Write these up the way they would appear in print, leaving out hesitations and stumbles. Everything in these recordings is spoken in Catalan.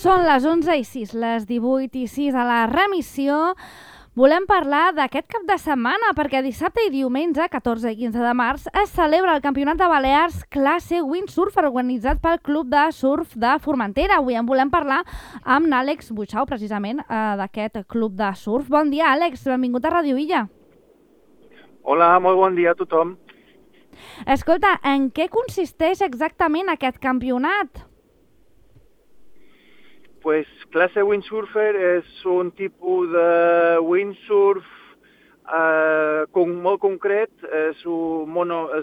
Són les 11:06, les 18:06 a la remissió. Volem parlar d'aquest cap de setmana perquè dissabte i diumenge, 14 i 15 de març, es celebra el Campionat de Balears classe Windsurf organitzat pel Club de Surf de Formentera. Avui en volem parlar amb l'Àlex Buixau, precisament, d'aquest Club de Surf. Bon dia, Àlex. Benvingut a Ràdio Illa. Hola, molt bon dia a tothom. Escolta, en què consisteix exactament aquest campionat? Pues classe windsurfer és un tipus de windsurf molt concret, es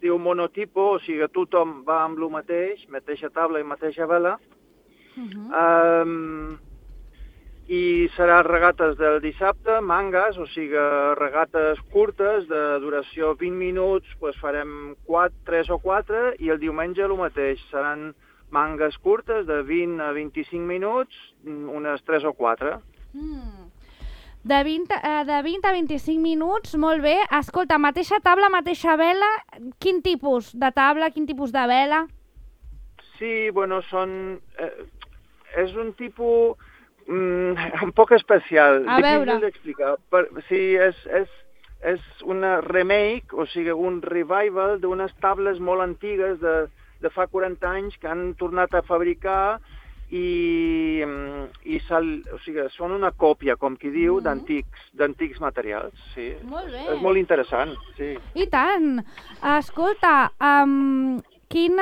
diu monotipo, o sigui, tothom va amb el mateix, mateixa taula i mateixa vela. I serà regates del dissabte, mangas, o sigui, regates curtes de duració 20 minuts, pues farem 3 o 4, i el diumenge el mateix, seran mangues curtes de 20 a 25 minuts, unes 3 o 4. De 20 a 25 minuts, molt bé. Escolta, mateixa taula, mateixa vela, quin tipus de taula, quin tipus de vela? Sí, bueno, és un tipus un poc especial. A veure. Difícil d'explicar. Sí, és una remake, o sigui, un revival d'unes tables molt antigues de fa 40 anys que han tornat a fabricar i o sigui, són una còpia, com qui diu, d'antics materials. Sí. Molt bé. És molt interessant, sí. I tant. Escolta, quins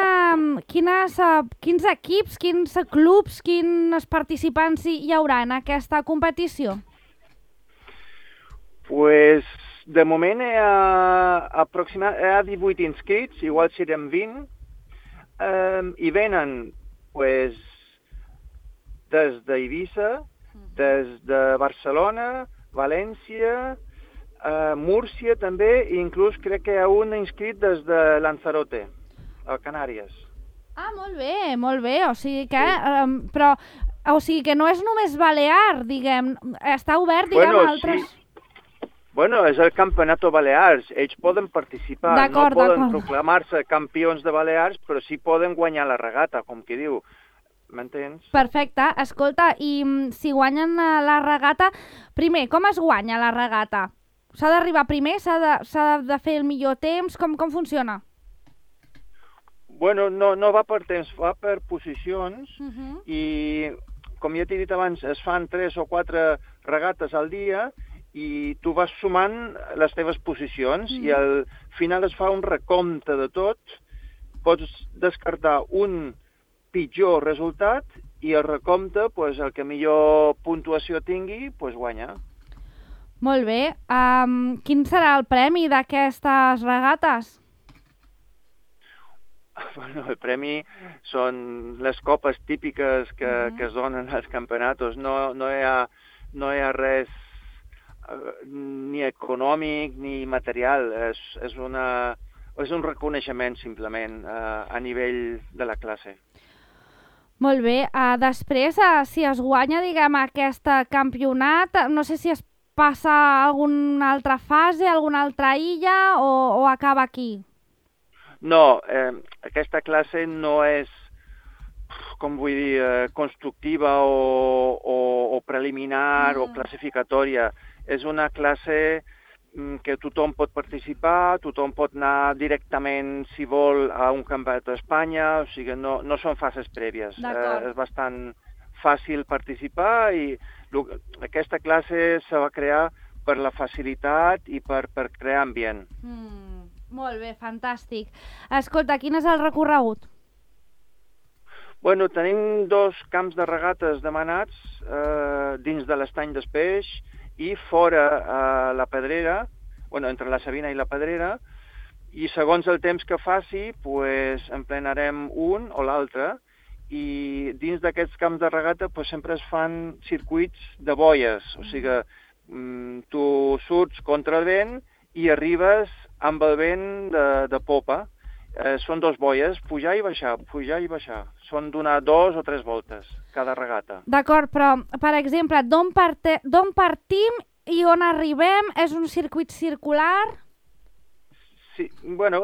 equips, quins clubs, quins participants hi haurà en aquesta competició? Pues, de moment hi ha 18 inscrits, igual serem 20, i venen pues, des d'Eivissa, des de Barcelona, València, Múrcia també, i inclús crec que hi ha un inscrit des de Lanzarote, a Canàries. Ah, molt bé, o sigui que, o sigui que no és només balear, diguem, està obert, diguem, a altres... Sí. Bueno, és el Campionato Balears, ells poden participar, no poden proclamar-se campions de Balears, però sí poden guanyar la regata, com qui diu, m'entens? Perfecte, escolta, i si guanyen la regata, primer, com es guanya la regata? S'ha d'arribar primer, s'ha de fer el millor temps, com funciona? Bueno, no va per temps, va per posicions, i com ja t'he dit abans, es fan 3 o 4 regates al dia, i tu vas sumant les teves posicions i al final es fa un recompte de tot, pots descartar un pitjor resultat i el recompte, pues, el que millor puntuació tingui, pues, guanya. Molt bé. Quin serà el premi d'aquestes regates? Bueno, el premi són les copes típiques que es donen als campionats. No hi ha res ni econòmic ni material, és un reconeixement simplement a nivell de la classe. Molt bé, després si es guanya, diguem, aquest campionat, no sé si es passa a alguna altra fase, a alguna altra illa o acaba aquí? No, aquesta classe no és, com vull dir, constructiva o preliminar o classificatòria. És una classe que tothom pot participar, tothom pot anar directament, si vol, a un campionat d'Espanya, o sigui, no són fases prèvies. És bastant fàcil participar i aquesta classe se va crear per la facilitat i per crear ambient. Molt bé, fantàstic. Escolta, quin és el recorregut? Bueno, tenim 2 camps de regates demanats dins de l'estany d'Espeix i fora a la Pedrera, bueno, entre la Sabina i la Pedrera, i segons el temps que faci, pues, emplenarem un o l'altre, i dins d'aquests camps de regata pues, sempre es fan circuits de boies, o sigui, tu surts contra el vent i arribes amb el vent de popa. Són 2 boies, pujar i baixar. Són donar 2 o 3 voltes cada regata. D'acord, però, per exemple, d'on partim i on arribem? És un circuit circular? Sí, bueno,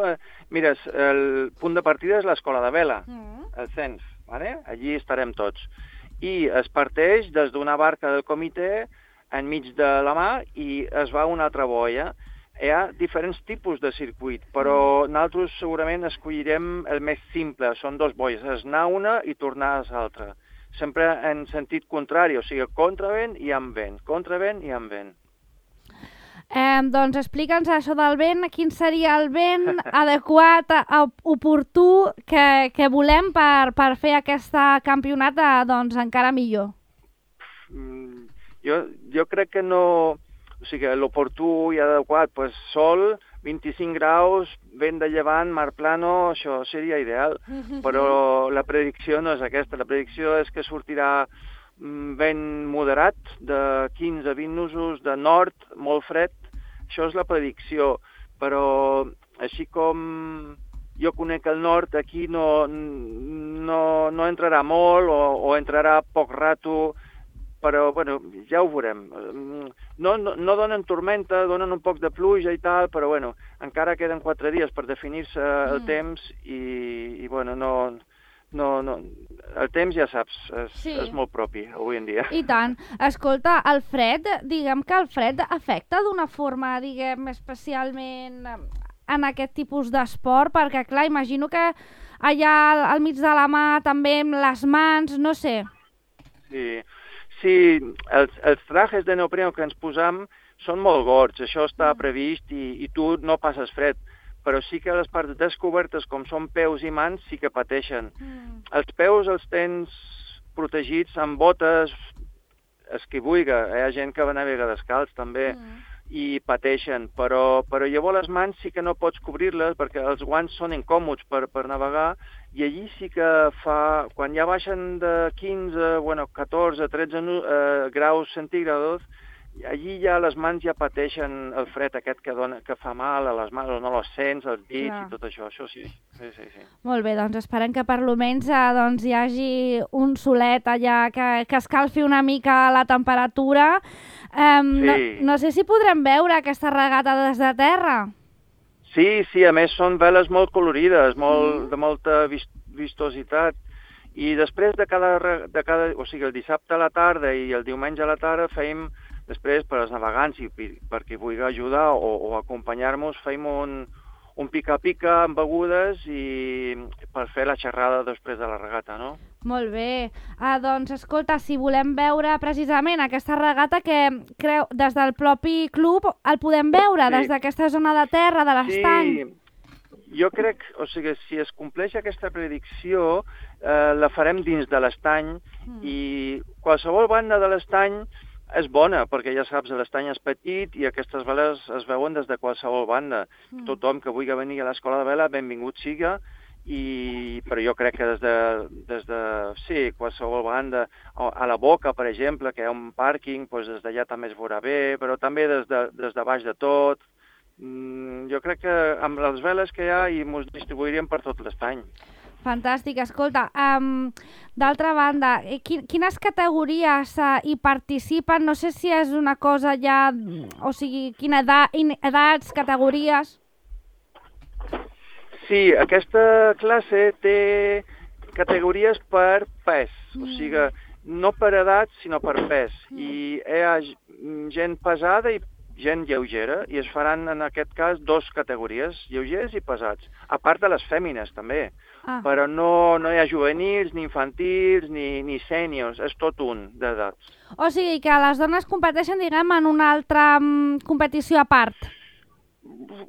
mira, el punt de partida és l'escola de vela, el CENF, ¿vale? Allí estarem tots. i es parteix des d'una barca del comitè enmig de la mar i es va a una altra boia. Hi ha diferents tipus de circuit, però nosaltres segurament escollirem el més simple. Són 2 boies, és anar una i tornar a l'altra. Sempre en sentit contrari, o sigui, contravent i amb vent, contravent i amb vent. Doncs explica'ns això del vent, quin seria el vent adequat, oportú, que volem per fer aquest campionat doncs, encara millor. Jo crec que no... O sigui, l'oportú i adequat, doncs sol, 25 graus, vent de llevant, mar plano, això seria ideal. Però la predicció no és aquesta. La predicció és que sortirà vent moderat, de 15 a 20 nusos, de nord, molt fred. Això és la predicció. Però així com jo conec el nord, aquí no entrarà molt o entrarà poc rato, però bueno, ja ho veurem. No donen tormenta, donen un poc de pluja i tal, però bueno, encara queden 4 dies per definir-se el temps i bueno, el temps ja saps, és molt propi avui en dia. I tant. Escolta, el fred, diguem que el fred afecta d'una forma, diguem, especialment en aquest tipus d'esport, perquè clar, imagino que allà al mig de la mà també amb les mans, no sé. Sí, els trajes de neopreno que ens posam són molt gords, això està previst i tu no passes fred, però sí que les parts descobertes, com són peus i mans, sí que pateixen. Els peus els tens protegits amb botes esquibuiga, hi ha gent que navega descalç també, i pateixen, però llavors les mans sí que no pots cobrir-les perquè els guants són incòmods per navegar i allí sí que fa, quan ja baixen de 15, 14, 13 graus centígrados, allí ja les mans ja pateixen el fred aquest que fa mal a les mans, no les sents, els dits i tot això, això sí. Molt bé, doncs esperem que per almenys hi hagi un solet allà que escalfi una mica la temperatura. No sé si podrem veure aquesta regata des de terra. Sí, a més són veles molt colorides, de molta vistositat. I després de cada, o sigui, el dissabte a la tarda i el diumenge a la tarda fèiem, després per als navegants i per qui vulgui ajudar o acompanyar-nos, fèiem un pica-pica amb begudes i per fer la xerrada després de la regata, no? Molt bé. Doncs, escolta, si volem veure precisament aquesta regata que creu des del propi club, el podem veure des d'aquesta zona de terra, de l'estany? Sí, jo crec, o sigui, si es compleix aquesta predicció, la farem dins de l'estany i qualsevol banda de l'estany és bona, perquè ja saps, l'estany és petit i aquestes veles es veuen des de qualsevol banda. Tothom que vulgui venir a l'escola de vela, benvingut siga, però jo crec que des de qualsevol banda, a la Boca, per exemple, que hi ha un pàrquing, des d'allà també es veurà bé, però també des de baix de tot. Jo crec que amb les veles que hi ha i ens distribuiríem per tot l'estany. Fantàstic, escolta, d'altra banda, quines categories hi participen? No sé si és una cosa ja, o sigui, edats, categories... Sí, aquesta classe té categories per pes, o sigui, no per edat, sinó per pes. I hi ha gent pesada i gent lleugera, i es faran en aquest cas 2 categories, lleugers i pesats, a part de les fèmines també, però no hi ha juvenils, ni infantils, ni sèniors, és tot un d'edats. O sigui que les dones competeixen, diguem, en una altra competició a part.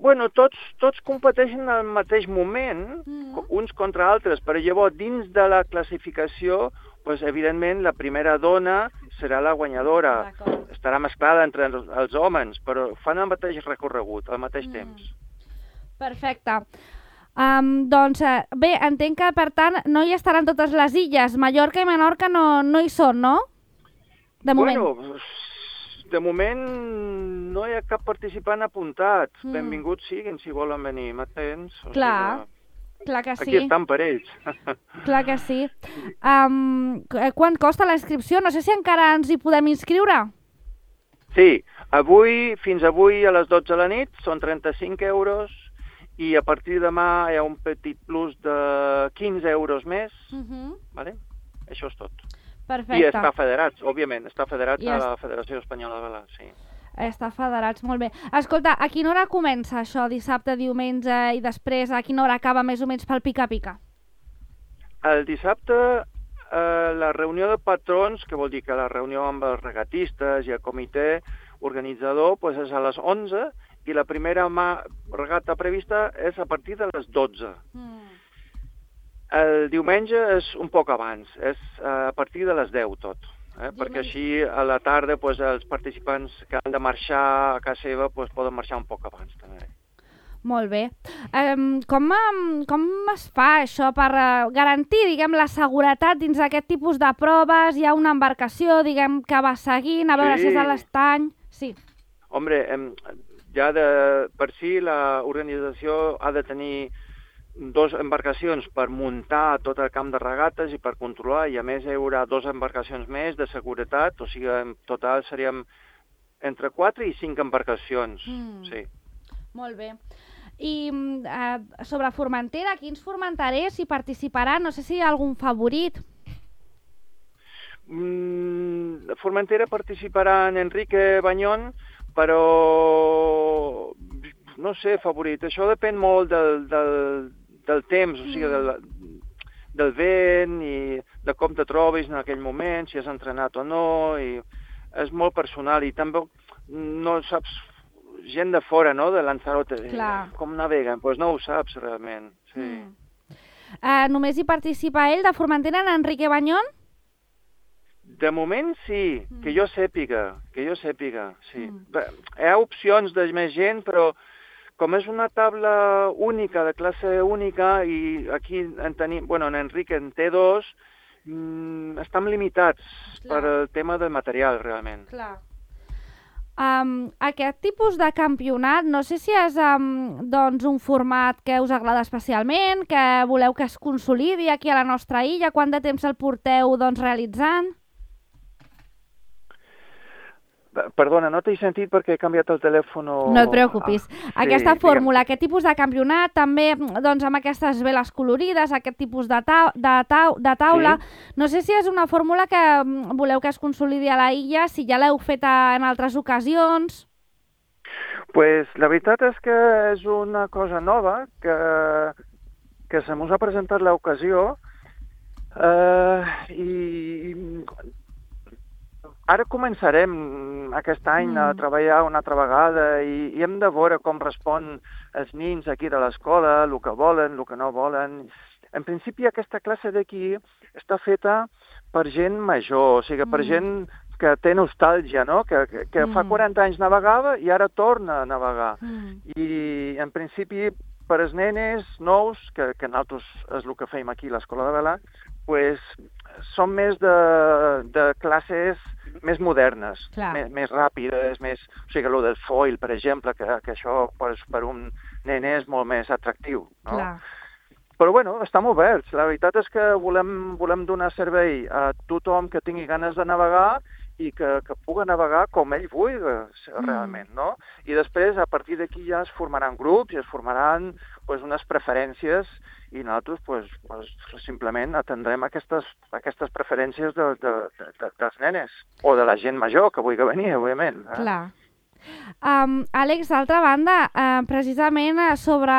Bueno, tots competeixen al mateix moment, uns contra altres, però llavors dins de la classificació, evidentment la primera dona serà la guanyadora. Estarà mesclada entre els homes, però fan el mateix recorregut, al mateix temps. Perfecte. Doncs bé, entenc que per tant no hi estaran totes les illes. Mallorca i Menorca no hi són, no? De moment. Bueno, de moment no hi ha cap participant apuntat. Benvinguts siguin si volen venir, m'entens? Clar que sí. Aquí estan per ells. Clar que sí. Quant costa la inscripció? No sé si encara ens hi podem inscriure. Sí, fins avui a les 12 de la nit són 35 euros i a partir de demà hi ha un petit plus de 15 euros més. Vale? Això és tot. Perfecte. I està federats, òbviament, està federats I a la Federació Espanyola de Vela, sí. Està federats, molt bé. Escolta, a quina hora comença això, dissabte, diumenge, i després a quina hora acaba més o menys pel pica-pica? El dissabte, la reunió de patrons, que vol dir que la reunió amb els regatistes i el comitè organitzador doncs és a les 11 i la primera regata prevista és a partir de les 12. El diumenge és un poc abans, és a partir de les 10 tot, perquè així a la tarda doncs, els participants que han de marxar a casa seva doncs, poden marxar un poc abans també. Molt bé. Com es fa això per garantir, diguem, la seguretat dins d'aquest tipus de proves? Hi ha una embarcació, diguem, que va seguint, a veure si és a l'estany? Sí. Hombre, ja per si l'organització ha de tenir 2 embarcacions per muntar tot el camp de regates i per controlar, i a més hi haurà 2 embarcacions més de seguretat, o sigui, en total seríem entre 4 i 5 embarcacions, sí. Molt bé. I sobre Formentera, quins formenterers hi participaran? No sé si hi ha algun favorit. Formentera participarà en Enrique Bañón, però no sé, favorit. Això depèn molt del temps, o sigui, del vent i de com te trobis en aquell moment, si has entrenat o no, i és molt personal i també no saps, gent de fora, no?, de Lanzarote, com naveguen, doncs no ho saps realment, sí. Només hi participa ell, de Formentera, en Enrique Bañón? De moment sí, que jo sàpiga, sí. Hi ha opcions de més gent, però com és una taula única, de classe única, i aquí en tenim, bueno, en Enrique en té 2, estem limitats per el tema del material, realment. Clar. Aquest tipus de campionat, no sé si és doncs, un format que us agrada especialment, que voleu que es consolidi aquí a la nostra illa, quant de temps el porteu doncs, realitzant? Perdona, no t'he sentit perquè he canviat el telèfon. No et preocupis. Aquesta fórmula, aquest tipus de campionat, també doncs, amb aquestes veles colorides, aquest tipus de taula, no sé si és una fórmula que voleu que es consolidi a la illa, si ja l'heu fet en altres ocasions. Pues la veritat és que és una cosa nova que se mos ha presentat l'ocasió i ara començarem aquest any a treballar una altra vegada i hem de veure com respon els nins aquí de l'escola, el que volen, el que no volen. En principi aquesta classe d'aquí està feta per gent major, o sigui, per gent que té nostàlgia, no? Que fa 40 anys navegava i ara torna a navegar. I en principi per als nenes nous, que nosaltres és el que fem aquí a l'Escola de Vela, pues, són més de classes més modernes, més ràpides, o sigui, el del foil, per exemple, que això per un nen és molt més atractiu, no? Però, bueno, estem oberts. La veritat és que volem donar servei a tothom que tingui ganes de navegar i que pugui navegar com ell vulgui, realment, no? I després, a partir d'aquí ja es formaran grups i es formaran unes preferències i nosaltres simplement atendrem aquestes preferències dels nenes o de la gent major que vulgui venir, òbviament. Clar. Àlex, d'altra banda, precisament sobre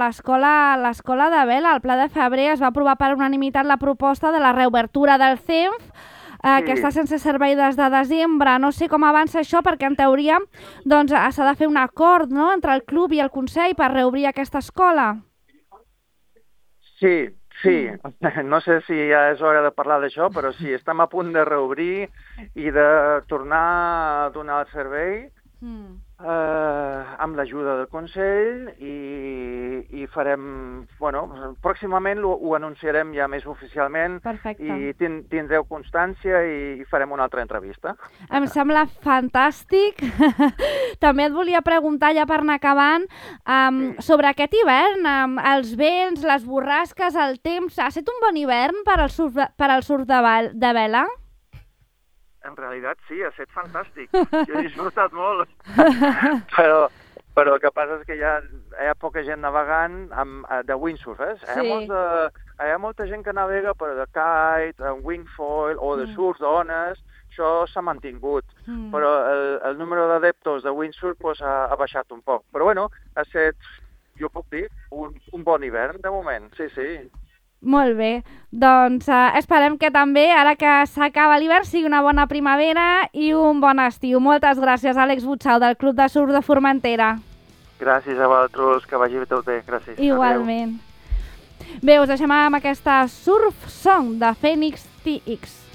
l'escola de vela, el Pla de Febrer es va aprovar per unanimitat la proposta de la reobertura del CENF, que està sense servei des de desembre. No sé com avança això, perquè en teoria s'ha de fer un acord, no?, entre el club i el Consell per reobrir aquesta escola. Sí. No sé si ja és hora de parlar d'això, però sí, estem a punt de reobrir i de tornar a donar el servei amb l'ajuda del Consell i farem, pròximament ho anunciarem ja més oficialment. Perfecte. I tindreu constància i farem una altra entrevista. Em sembla fantàstic. També et volia preguntar, ja per anar acabant, sobre aquest hivern, els vents, les borrasques, el temps. Ha estat un bon hivern per al surf de vela? En realitat sí, ha estat fantàstic. Jo he disfrutat molt. Però el que passa és que hi ha poca gent navegant de windsurf, Sí. Hemos de hi ha molta gent que navega per de kite, en wingfoil o de surf d'ones, això s'ha mantingut, però el número d'adeptos de windsurf pues, ha baixat un poc. Però bueno, ha estat, jo puc dir, un bon hivern de moment, sí. Molt bé, doncs esperem que també, ara que s'acaba l'hivern, sigui una bona primavera i un bon estiu. Moltes gràcies, Àlex Butxau, del Club de Surf de Formentera. Gràcies a vosaltres, que vagi tot bé, gràcies. Igualment. Adeu. Bé, us deixem amb aquesta Surf Song de Phoenix TX.